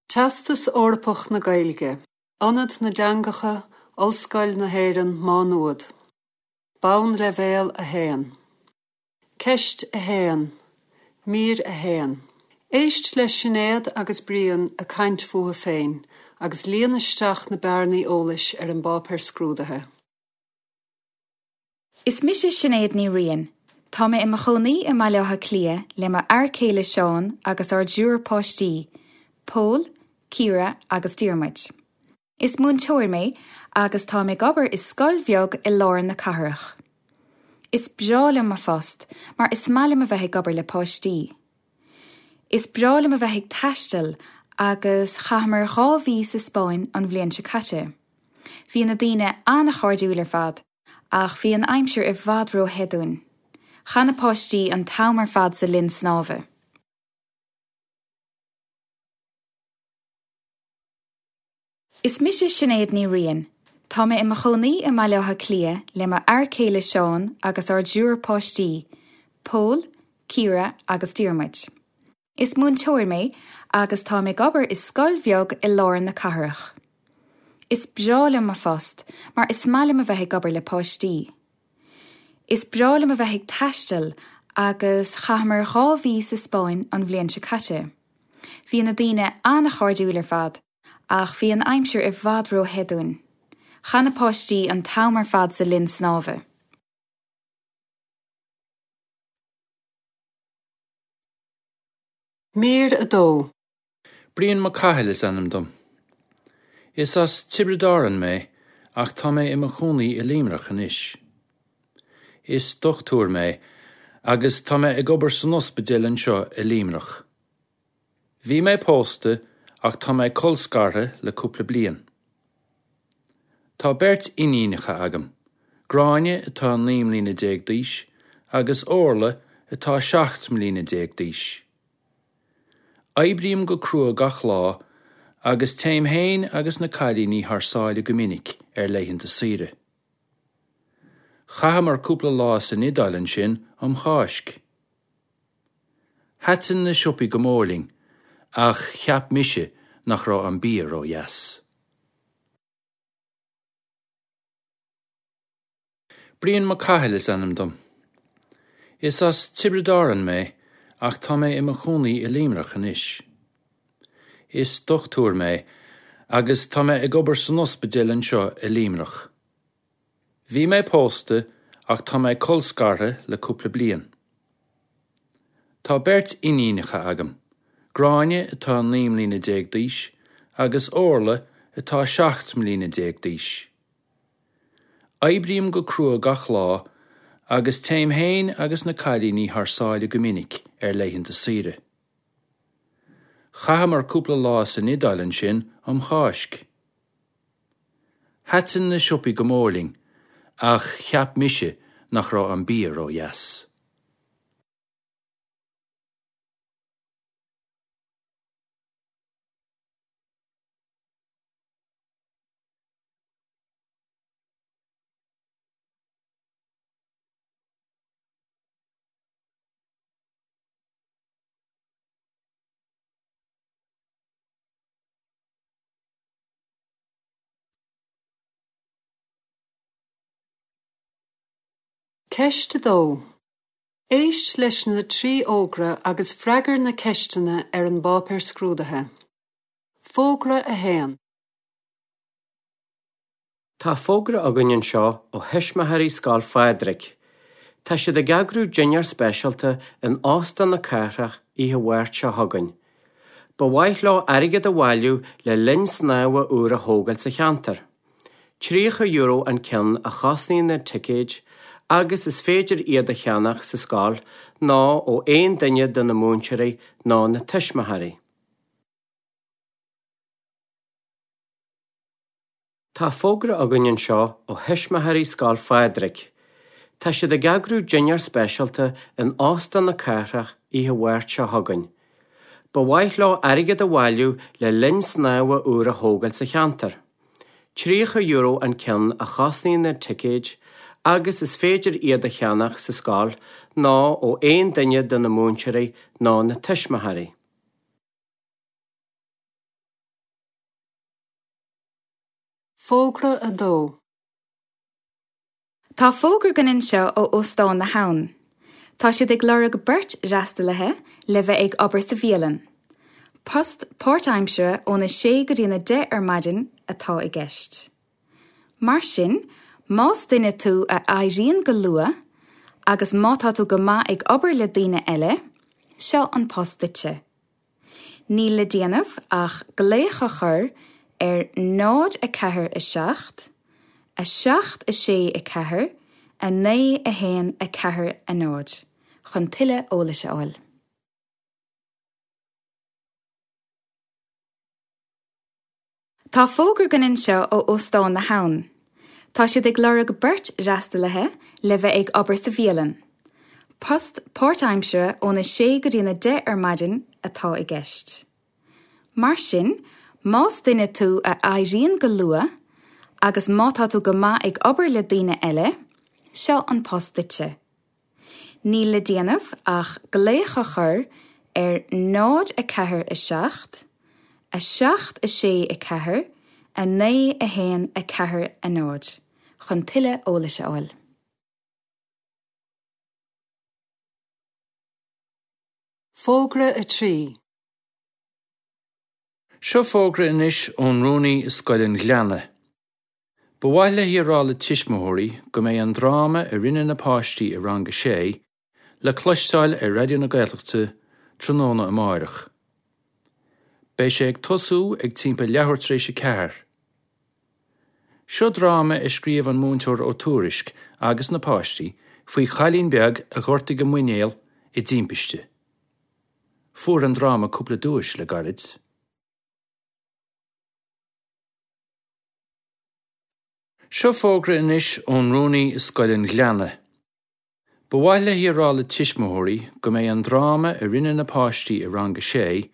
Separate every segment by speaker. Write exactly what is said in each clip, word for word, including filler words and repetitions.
Speaker 1: Teastas Eorpach na Gaeilge, Ionad na dTeangacha, Ollscoil na hÉireann, Má Nuad. Bonnleibhéal a haon. Ceist a haon, Mír a haon. Éist le Sinéad agus Brian ag caint fúthu féin agus líon isteach na bearnaí eolais ar an bpáipéar scrúdaithe.
Speaker 2: Is mise Sinéad Ní Riain. Tá mé i mo chónaí i mBaile Átha Cliath le mo fhear céile Seán agus ár dtriúr páistí, Pól, Ciara agus Diarmuid. Is múinteoir mé agus tá mé ag obair i scoil bheag i lár na cathrach. Is breá liom mo phost mar is maith liom a bheith ag obair le páistí. Is breá liom a bheith ag taisteal agus chaitheamar dhá mhí sa Spáinn an bhliain seo caite. Bhí na daoine an-chairdiúil ar fad, ach bhí an aimsir i bhfad róthe dúinn. Chaith na páistí an t-am ar fad sa linn snámha. Is mise Sinéad Ní Riain. Tá mé i mo chónaí i mBaile Átha Cliath le mo fhear céile Seán agus ár dtriúr páistí, Pól, Ciara agus Diarmuid. Is múinteoir mé agus tá mé ag obair i scoil bheag i lár na cathrach. Is breá liom mo phost mar is maith liom a bheith ag obair le páistí. Is breá liom a bheith ag taisteal agus chaitheamar dhá mhí sa Spáinn an bhliain seo caite. Bhí na daoine an-chairdiúil ar fad, ach bhí an aimsir i bhfad róthe dúinn. Chaith na páistí an t-am ar fad sa linn snámha.
Speaker 1: Mír a dó.
Speaker 3: Brian Mac Cathail is ainm dom. Is as Tiobraid Árann mé ach tá mé i mo chónaí i Luimneach anois. Is dochtúir mé agus tá mé ag obair san ospidéal anseo i Luimneach. Bhí mé pósta ach tá mé colscartha le cúpla bliain. Tá beirt iníonacha agam, Gráinne atá naoi mbliana déag d'aois agus Orla atá seacht mbliana déag d'aois. Oibrím go crua gach lá agus téim féin agus na cailíní thar sáile go minic ar laethanta saoire. Chaitheamar cúpla lá san Iodáil ansin um Cháisc. Thaitin na siopaí go mór linn, ach cheap mise nach raibh an bia ródheas. Brian Mac Cathail is ainm dom. Is as Tiobraid Árann mé ach tá mé i mo chónaí i Luimneach anois. Is dochtúir mé agus tá mé ag obair san ospidéal anseo i Luimneach. Bhí mé pósta ach tá mé colscartha le cúpla bliain. Tá beirt iníonacha agam, Gráinne atá naoi mbliana déag d'aois agus Orla atá seacht mbliana déag d'aois. Oibrím go crua gach lá agus téim féin agus na cailíní thar sáile go minic ar laethanta saoire. Chaitheamar cúpla lá san Iodáil ansin um Cháisc. Thaitin na siopaí go mór linn, ach cheap mise nach raibh an bia ródheas.
Speaker 1: Ceist a dó. Éist leis na trí fhógra agus freagair na ceisteanna ar an bpáipéar scrúdaithe. Fógra a haon.
Speaker 4: Tá fógra againn anseo ó thuismitheoirí Scoil Phádraig. Tá siad ag eagrú dinnéar speisialta in Óstán na Cathrach oíche Mháirt seo chugainn. Ba mhaith leo airgead a bhailiú le linn snámha úr a thógáil sa cheantar. Tríocha euro an ceann a chosnaíonn na ticéid agus is féidir iad a cheannach sa scoil nó ó aon duine de na múinteoirí nó na tuismitheoirí. Tá fógra againn anseo ó thuismitheoirí Scoil Phádraig. Tá siad ag eagrú dinnéar speisialta in Óstán na Cathrach oíche Mháirt seo chugainn. Ba mhaith leo airgead a bhailiú le linn snámha úr a thógáil sa cheantar. Tríocha euro an ceann a chosnaíonn na ticéid agus is féidir iad a cheannach sa scoil nó ó aon duine de na múinteoirí nó na tuismitheoirí.
Speaker 1: Fógra a dó.
Speaker 2: Tá fógra againn anseo ó Óstán na hAbhann. Tá siad ag lorg beirt fhreastalaithe le bheith ag obair sa bhialann. Post páirtaimseartha óna sé go dtí a deich ar maidin atá i gceist. Mar sin, más duine tú a éiríonn go luath, agus má tá tú go maith ag obair le daoine eile, seo an post duitse. Níl le déanamh ach glaoch a chur ar náid a ceathair a seacht, a seacht a sé a ceathair, a naoi a haon a ceathair a náid, chun tuilleadh eolais a fháil. Tá fógra againn anseo ó Óstán na hAbhann. Tá siad ag lorg beirt fhreastalaithe le bheith ag obair sa bhialann. Post páirtaimseartha óna sé go dtí a deich ar maidin atá i gceist. Mar sin, más duine tú a éiríonn go luath, agus má tá tú go maith ag obair le daoine eile, seo an post duitse. Níl le déanamh ach glaoch a chur ar náid a ceathair a seacht, a seacht a sé a ceathair, a naoi a haon a ceathair a náid, chun tuilleadh eolais a fháil.
Speaker 1: Fógra a trí.
Speaker 3: Seo fógra anois ón rúnaí i Scoil an Ghleanna. Ba mhaith léi a rá le tuismitheoirí go mbeidh an dráma a rinne na páistí i rang a sé le cloisteáil ar Raidió na Gaeltachta tráthnóna amárach. Beidh sé ag tosú ag timpeall leathuair tar éis a ceathair. Seo dráma a scríobh an múinteoir Ó Tuairisg agus na páistí faoi chailín beag a ghortaigh a muinéal i dtimpiste. Fuair an dráma cúpla duais le gairid. Seo fógra anois ón rúnaí i Scoil an Ghleanna. Ba mhaith léi a rá le tuismitheoirí go mbeidh an dráma a rinne na páistí i rang a sé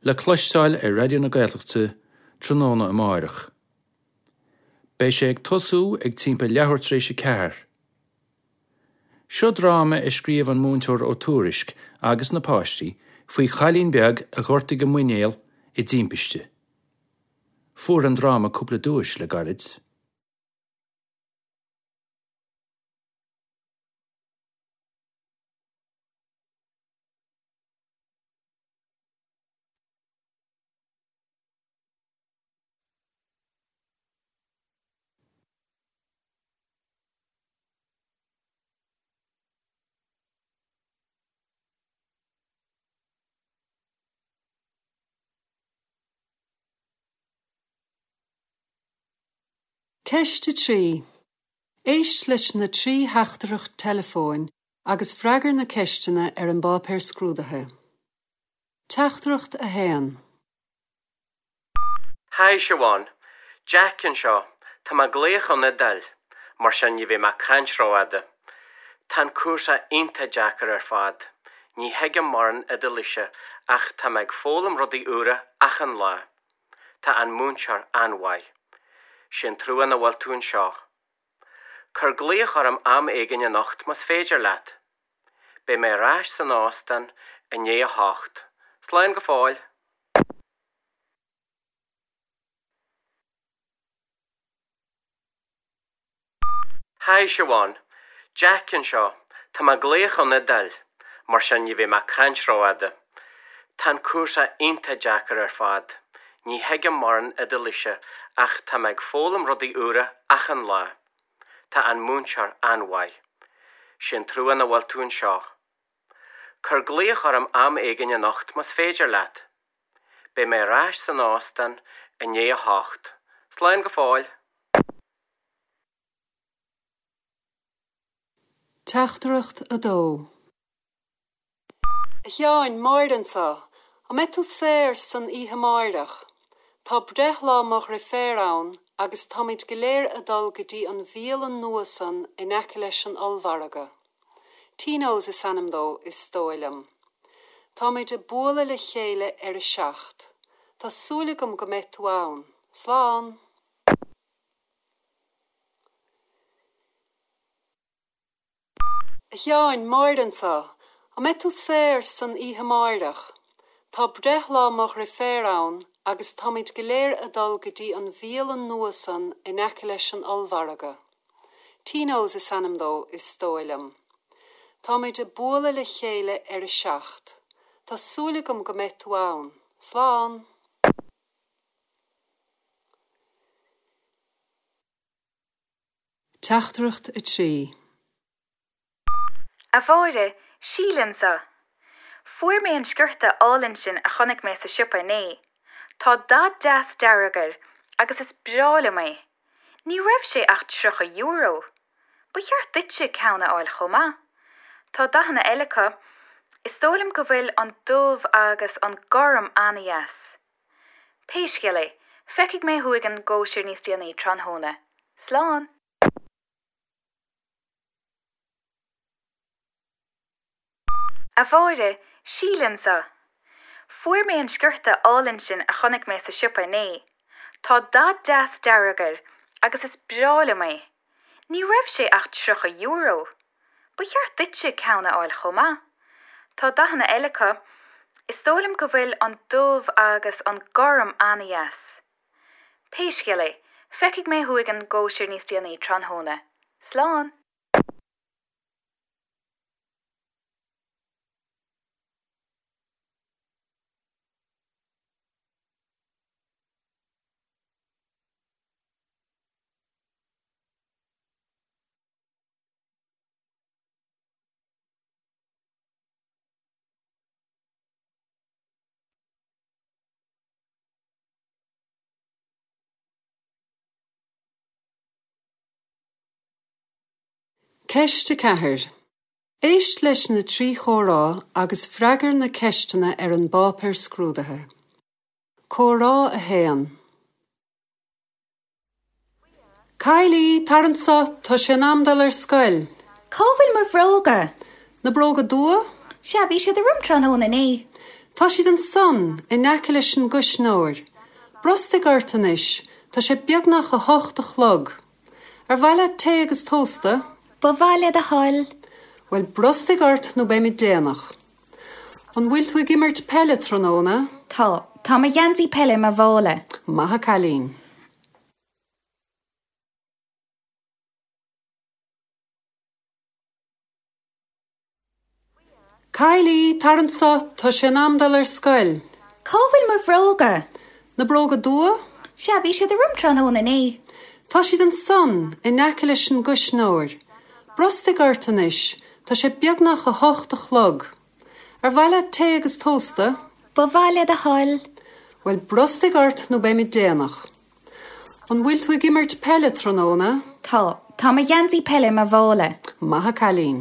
Speaker 3: le cloisteáil ar Raidió na Gaeltachta tráthnóna amárach. Beidh sé ag tosú ag timpeall leathuair tar éis a ceathair. Seo dráma a scríobh an múinteoir Ó Tuairisg agus na páistí faoi chailín beag a ghortaigh a muinéal i dtimpiste. Fuair an dráma cúpla duais le gairid.
Speaker 1: Ceist a trí. Éist leis na trí theachtaireacht teileafóin agus freagair na ceisteanna ar an bpáipéar scrúdaithe. Teachtaireacht a haon.
Speaker 4: Hi Siobhán, Jack anseo, Tá mé ag glaoch ón Iodáil, mar sin ní bheidh mé ag caint rófhada. Tá an cúrsa iontach deacair ar fad. Ní thuigim mórán Iodáilise ach tá mé ag foghlaim rudaí úra achan lá. Tá an múinteoir an-mhaith. Sé an trua nach bhfuil tú anseo. Cuir glaoch orm am éigin anocht más féidir leat. Beidh mé ar ais san óstán i ndiaidh a hocht. Slán go fóill. Hi Siobhán, Jack anseo, Tá mé ag glaoch ón Iodáil, mar sin ní bheidh mé ag caint rófhada. Tá an cúrsa iontach deacair ar fad. Ní thuigim mórán Iodáilise ach tá mé ag foghlaim rudaí úra achan lá. Tá an múinteoir an-mhaith. Sé an trua nach bhfuil tú anseo. Cuir glaoch orm am éigin anocht más féidir leat. Beidh mé ar ais san óstán i ndiaidh a hocht. Slán go fóill.
Speaker 1: Teachtaireacht a dó. A Sheáin, Máire anseo, an mbeidh tú saor san oíche amárach? Tá breithlá mo dheirféar ann agus táimid go léir ag dul go dtí an bhialann nua san in aice leis an ollmhargadh. Tino's is ainm dó, is dóigh liom. Táimid ag bualadh le chéile ar a seacht. Tá súil agam go mbeidh tú ann. Slán! A Sheáin, Máire anseo, an mbeidh tú saor san oíche amárach? Tá breithlá mo dheirféar ann agus táimid go léir ag dul go dtí an bhialann nua san in aice leis an ollmhargadh. Tino's is ainm dó is dóigh liom. Táimid ag bualadh le chéile ar a seacht. Tá súil agam go mbeidh tú ann. Slán! Teachtaireacht a trí.
Speaker 2: A Mháire, Síle anseo. Fuair mé an sciorta álainn sin a chonaic mé sa siopa inné. Tá dath deas dearg air agus is breá liom é. Ní raibh sé ach tríocha euro. Ba cheart duitse ceann a fháil chomh maith. Tá dathanna eile acu. Is dóigh liom go bhfuil an dubh agus an gorm an-deas. Pé scéal é, feicfidh mé thú ag an gcóisir níos déanaí tráthnóna. Slán! A Mháire, Síle anseo. Fuair mé an sciorta álainn sin a chonaic mé sa siopa inné. Tá dath deas dearg air agus is breá liom é. Ní raibh sé ach tríocha euro. Ba cheart duitse ceann a fháil chomh maith. Tá dathanna eile acu. Is dóigh liom go bhfuil an dubh agus an gorm an-deas. Pé scéal é, feicfidh mé thú ag an gcóisir níos déanaí tráthnóna. Slán!
Speaker 1: Ceist a ceathair. Éist leis na trí chomhrá agus freagair na ceisteanna ar an bpáipéar scrúdaithe. Comhrá a haon. Kylie, tar anseo, tá sé in am dul ar scoil.
Speaker 2: Cá bhfuil mo bhróga?
Speaker 1: Na bróga dubha?
Speaker 2: Sea, bhí siad orm tráthnóna inné.
Speaker 1: Tá siad ansan, in aice leis an gcuisneoir. Brostaigh ort anois, tá sé beagnach a hocht a chlog. Ar mhaith leat tae agus tósta?
Speaker 2: Ba mhaith le do thoil.
Speaker 1: Bhuel brostaigh ort nó beimid déanach. An bhfuil tú ag imirt peile tráthnóna?
Speaker 2: Tá, tá mo gheansaí peile i mo mhála.
Speaker 1: Maith an cailín. Kylie, tar anseo, tá sé in am dul ar scoil.
Speaker 2: Cá bhfuil mo bhróga?
Speaker 1: Na bróga dubha?
Speaker 2: Sea, bhí siad orm tráthnóna inné.
Speaker 1: Tá siad ansan, in aice leis an gcuisneoir. Brostaigh ort anois, tá sé beagnach a hocht a chlog. Ar mhaith leat tae agus tósta?
Speaker 2: Ba mhaith le do thoil.
Speaker 1: Bhuel brostaigh ort nó beimid déanach. An bhfuil tú ag imirt peile tráthnóna?
Speaker 2: Tá, tá mo gheansaí peile i mo mhála.
Speaker 1: Maith an cailín.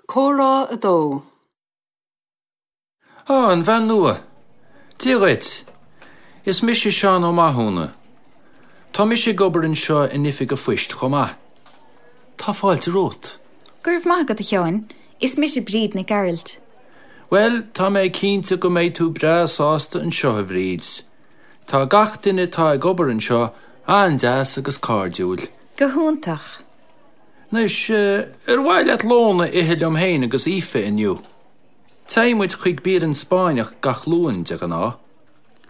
Speaker 1: Comhrá a dó.
Speaker 3: Á, an bhean nua. Dia dhuit. Is mise Seán Ó Mathúna. Tá mise ag obair anseo in oifig an phoist chomh maith. Tá fáilte romhat.
Speaker 2: Go raibh maith agat a Sheáin. Is mise Bríd Nic Gearailt.
Speaker 3: Bhuel, tá mé cinnte go mbeidh tú breá sásta anseo a Bhríd. Tá gach duine atá ag obair anseo an-deas agus cairdiúil.
Speaker 2: Go hiontach.
Speaker 3: Anois, ar mhaith leat lón a ithe liom féin agus Aoife inniu. Téann muid chuig bialann Spáinneach gach Luan de ghnáth.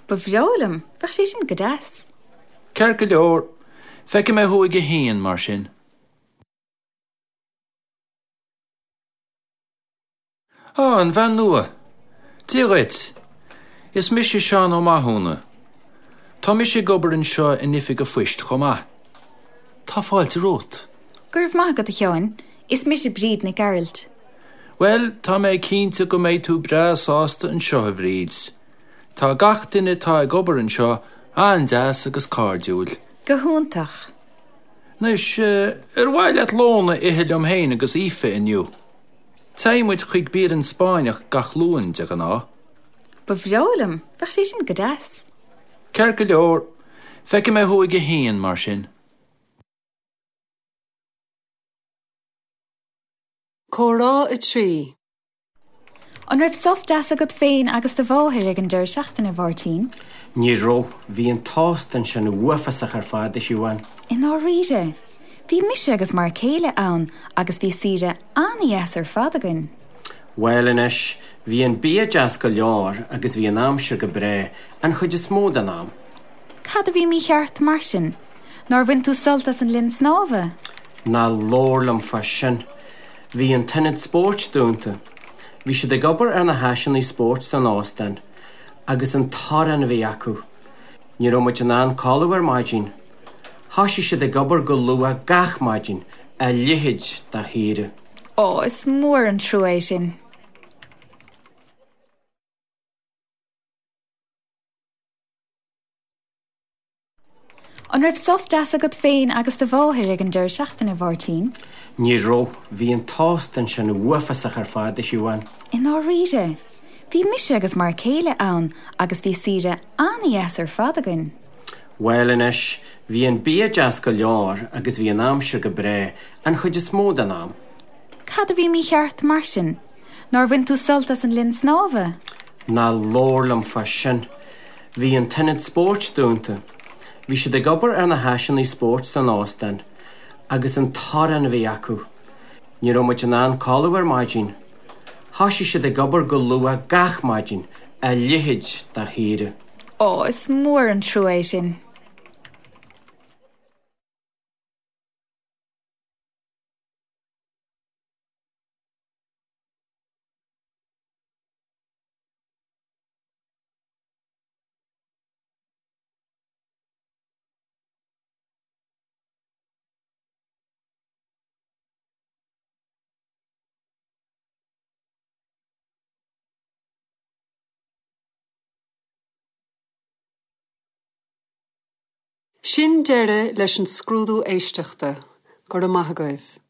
Speaker 2: Ba bhreá liom, bheadh sé sin go deas.
Speaker 3: Ceart go leor, feicfidh mé thú ag a haon mar sin. Á, an bhean nua. Dia dhuit. Is mise Seán Ó Mathúna. Tá mise ag obair anseo in oifig an phoist chomh maith. Tá fáilte romhat.
Speaker 2: Go raibh maith agat a Sheáin. Is mise Bríd Nic Gearailt.
Speaker 3: Bhuel, tá mé cinnte go mbeidh tú breá sásta anseo a Bhríd. Tá gach duine atá ag obair anseo an-deas agus cairdiúil.
Speaker 2: Go hiontach.
Speaker 3: Anois, ar mhaith leat lón a ithe liom féin agus Aoife inniu. Téann muid chuig bialann Spáinneach gach Luan de ghnáth.
Speaker 2: Ba bhreá liom, bheadh sé sin go deas.
Speaker 3: Ceart go leor, feicfidh mé thú ag a haon mar sin.
Speaker 1: Comhrá a trí.
Speaker 2: An raibh sos deas agat féin agus do mháthair ag an deireadh seachtaine, a Mháirtín?
Speaker 4: Ní raibh, bhí an tost ansin uafásach ar fad a Shiobhán.
Speaker 2: I ndáiríre. Bhí mise agus m'fhear céile ann agus bhí saoire an-deas ar fad againn.
Speaker 4: Bhuel anois, bhí an bia deas go leor agus bhí an aimsir go breá an chuid is mó den am.
Speaker 2: Cad a bhí mícheart mar sin? Nár bhain tú sult as an linn snámha?
Speaker 4: Ná labhair liom fá sin. Bhí an t-ionad spóirt dúnta. Bhí siad ag obair ar na háiseanna spóirt san óstán, agus an torann a bhí acu. Ní raibh muid in ann codladh ar maidin. Thosaigh siad ag obair go luath gach maidin, a leithéid de shaoire.
Speaker 2: Ó, is mór an trua é sin. An raibh sos deas agat féin agus do mháthair ag an deireadh seachtaine, a Mháirtín?
Speaker 4: Ní raibh, bhí an t-óstán sin uafásach ar fad, a Shiobhán.
Speaker 2: I ndáiríre? Bhí mise agus m'fhear céile ann agus bhí saoire an-deas ar fad againn.
Speaker 4: Bhuel anois, bhí an bia deas go leor agus bhí an aimsir go breá an chuid is mó den am.
Speaker 2: Cad a bhí mícheart mar sin? Nár bhain tú sult as an linn snámha?
Speaker 4: Ná labhair liom fá sin. Bhí an t-ionad spóirt dúnta. Bhí siad ag obair ar na háiseanna spóirt san óstán, agus an torann a bhí acu. Ní raibh muid in ann codladh ar maidin. Thosaigh siad ag obair go luath gach maidin, a leithéid de shaoire.
Speaker 2: Ó, is mór an trua é sin.
Speaker 1: Sin deireadh leis an scrúdú éisteachta, go raibh maith agaibh.